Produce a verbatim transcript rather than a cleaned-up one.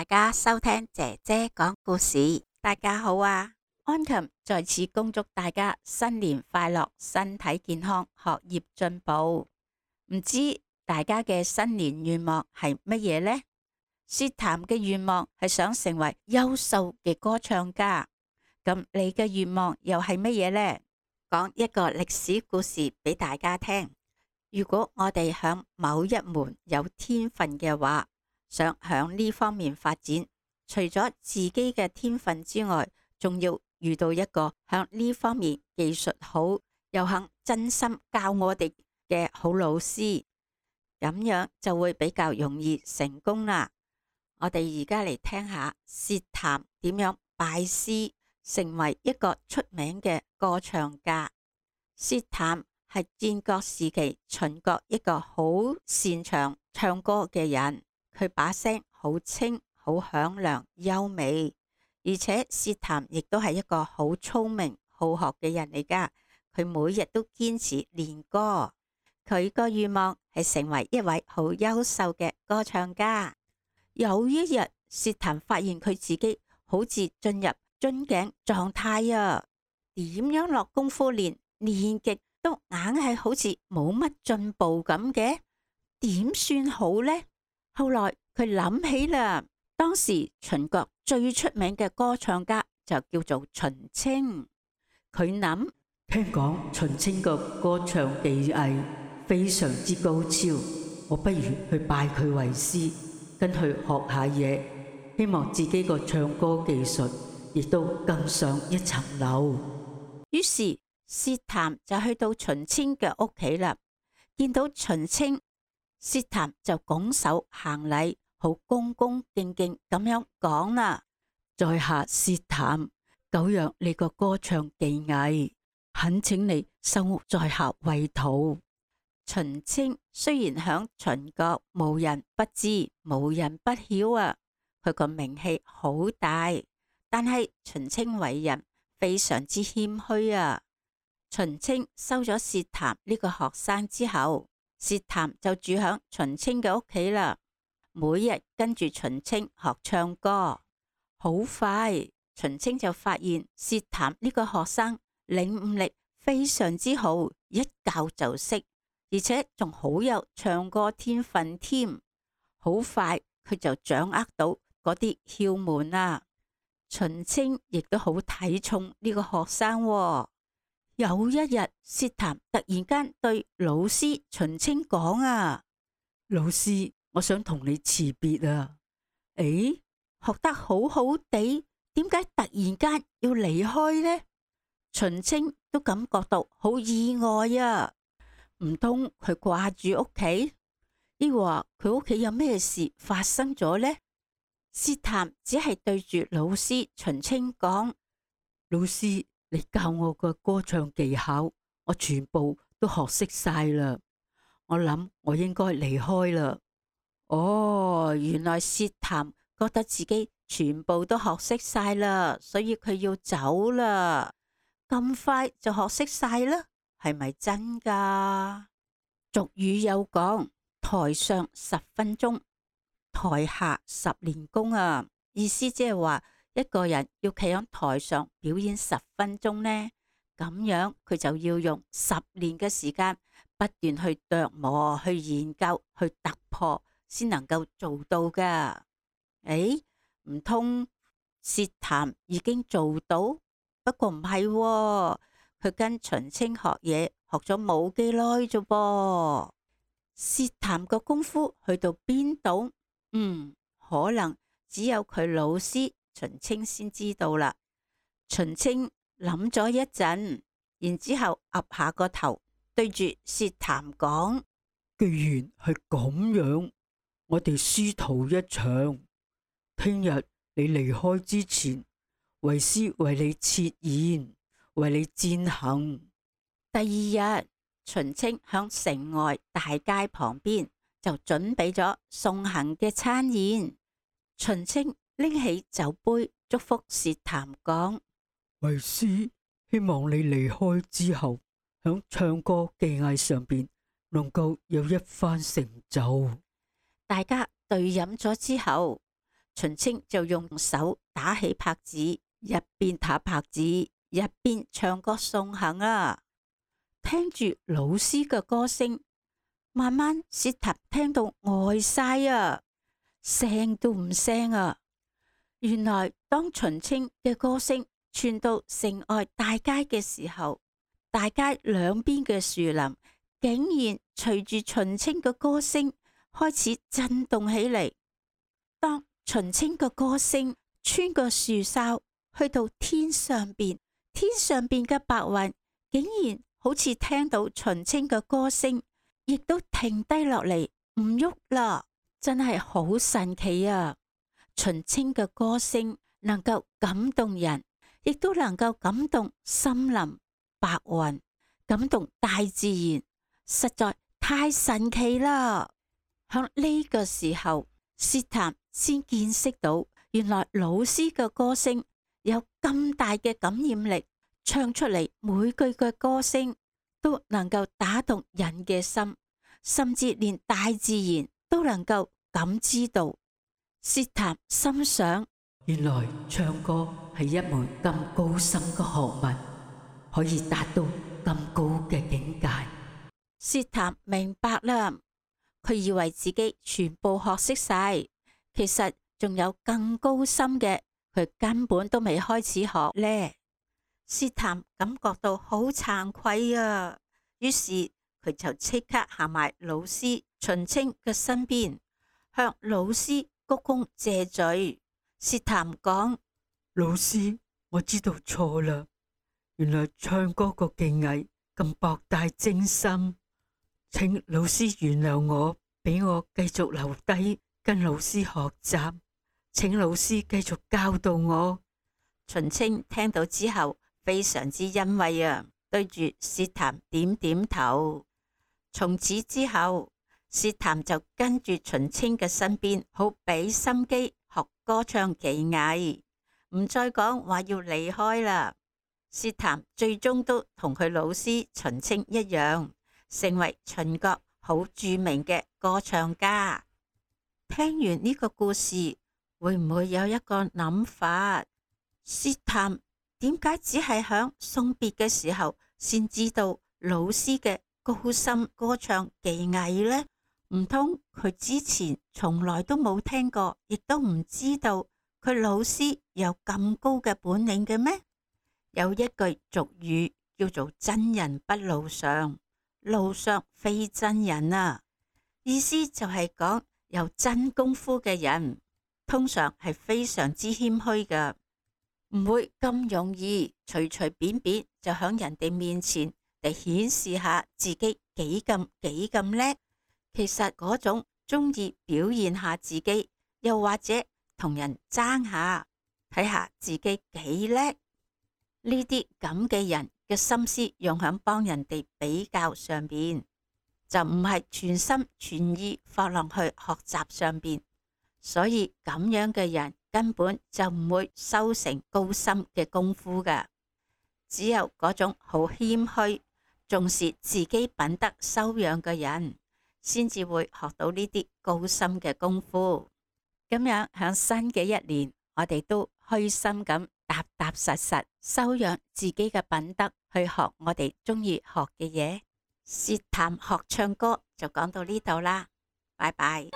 家收聽姐姐講故事。大家好啊，安琴在此恭祝大家新年快樂，身體健康，學業進步。唔知大家嘅新年願望係乜嘢呢？薛譚嘅願望係想成為優秀嘅歌唱家，咁你嘅願望又係乜嘢呢？講一個歷史故事俾大家聽。如果我哋響某一門有天分嘅話，想響呢方面發展，除咗自己嘅天分之外，仲要遇到一個響呢方面技術好又肯真心教我哋嘅好老師，咁樣就會比較容易成功啦。我哋而家嚟聽下薛譚點樣拜師，成為一個出名嘅歌唱家。薛譚係戰國時期秦國一個好擅長唱歌嘅人，佢把聲好清、好響亮、優美，而且薛譚亦都係一個好聰明、好學嘅人嚟噶。佢每日都堅持練歌，佢個願望係成為一位好優秀嘅歌唱家。有一日，薛譚發現佢自己好似進入樽頸狀態啊，點樣落功夫練，練極都硬係好似冇乜進步咁嘅，點算好呢？後來佢諗起啦，當時秦國最出名嘅歌唱家就叫做秦青。佢諗，聽講秦青個歌唱技藝非常之高超，我不如去拜佢為師，跟佢學下嘢，希望自己個唱歌技術亦都更上一層樓。於是薛譚就去到秦青嘅屋企啦，見到秦青，薛譚就拱手行禮，好恭恭敬敬咁樣講啦：在下薛譚，久仰你個歌唱技藝，懇請你收我在下為徒。秦青雖然響秦國無人不知，無人不曉啊，佢個名氣好大，但係秦青為人非常之謙虛啊。秦青收咗薛譚呢個學生之後，薛譚就住響秦青嘅屋企啦，每日跟住秦青學唱歌。好快，秦青就發現薛譚呢個學生領悟力非常之好，一教就識，而且仲好有唱歌天分添。好快佢就掌握到嗰啲竅門啦。秦青亦都好睇重呢個學生喎。有一日，薛譚突然間對老師秦青講啊：老師，我想同你辭別啊。誒，學得好好地，點解突然間要離開呢？秦青都感覺到好意外啊！唔通佢掛住屋企，抑或佢屋企有咩事發生咗呢？薛譚只係對住老師秦青講：老師，你教我個歌唱技巧，我全部都學識晒啦。我諗我應該離開啦。哦，原來薛譚覺得自己全部都學識晒啦，所以佢要走啦。咁快就學識晒啦，係咪真噶？俗語有講：台上十分鐘，台下十年功啊。意思即係話，一個人要企喺台上表演十分鐘呢，咁樣佢就要用十年嘅時間不斷去琢磨、去研究、去突破，先能夠做到噶。誒，唔通薛譚已經做到？不過唔係喎，佢跟秦青學嘢學咗冇幾耐啫噃。薛譚個功夫去到邊度？嗯，可能只有佢老師秦青先知道啦。秦青諗咗一陣，然之後岌下個頭，對住薛譚講：既然係咁樣，我哋師徒一場。聽日你離開之前，為師為你設宴，為你餞行。第二日，秦青響城外大街旁邊就準備咗送行嘅餐宴。秦青拎起酒杯，祝福薛譚講：為師希望你離開之後，響唱歌技藝上邊能夠有一番成就。大家對飲咗之後，秦青就用手打起拍子，一邊打拍子一邊唱歌送行啊！聽住老師嘅歌聲，慢慢薛譚聽到呆晒啊，聲都唔聲啊！原來當秦青嘅歌聲傳到城外大街嘅時候，大街兩邊嘅樹林竟然隨住秦青嘅歌聲開始震動起嚟。當秦青嘅歌聲穿過樹梢去到天上邊，天上邊嘅白雲竟然好似聽到秦青嘅歌聲，亦都停低落嚟唔喐啦，真係好神奇啊！秦青嘅歌聲能夠感動人，亦都能夠感動森林、白雲，感動大自然，實在太神奇啦！響呢個時候，薛譚先見識到，原來老師嘅歌聲有咁大嘅感染力，唱出嚟每句嘅歌聲都能夠打動人嘅心，甚至連大自然都能夠感知到。薛譚心想，原來唱歌係一門咁高深嘅學問，可以達到咁高嘅境界。薛譚明白啦，佢以為自己全部學識晒，其實仲有更高深嘅，佢根本都未開始學呢。薛譚感覺到好慚愧啊，於是佢就即刻行埋老師秦青嘅身邊，向老師鞠躬謝罪。薛譚講：老師，我知道錯啦，原來唱歌個技藝咁博大精深，請老師原諒我，俾我繼續留低跟老師學習，請老師繼續教導我。秦青聽到之後非常之欣慰啊，對住薛譚點點頭。從此之後，薛譚就跟住秦青嘅身邊，好俾心機學歌唱技藝，唔再講話要離開啦。薛譚最終都同佢老師秦青一樣，成為秦國好著名嘅歌唱家。聽完呢個故事，會唔會有一個諗法？薛譚點解只係響送別嘅時候先知道老師嘅高深歌唱技藝呢？唔通佢之前從來都冇聽過，亦都唔知道佢老師有咁高嘅本領嘅咩？有一句俗語叫做真人不露相，路上非真人啊，意思就係講有真功夫嘅人通常係非常之謙虛㗎，唔會咁容易隨隨便便就響人哋面前嚟顯示下自己幾咁幾咁叻。其實嗰種中意表現下自己，又或者同人爭下，睇下自己幾叻，呢啲咁嘅人嘅心思用響幫人哋比較上邊，就唔係全心全意放落去學習上邊。所以咁樣嘅人根本就唔會修成高深嘅功夫㗎。只有嗰種好謙虛、重視自己品德修養嘅人，先至會學到呢啲高深嘅功夫。咁樣響新嘅一年，我哋都虛心咁踏踏實實修養自己嘅品德，去學我哋中意學嘅嘢。薛譚學唱歌就講到呢度啦，拜拜。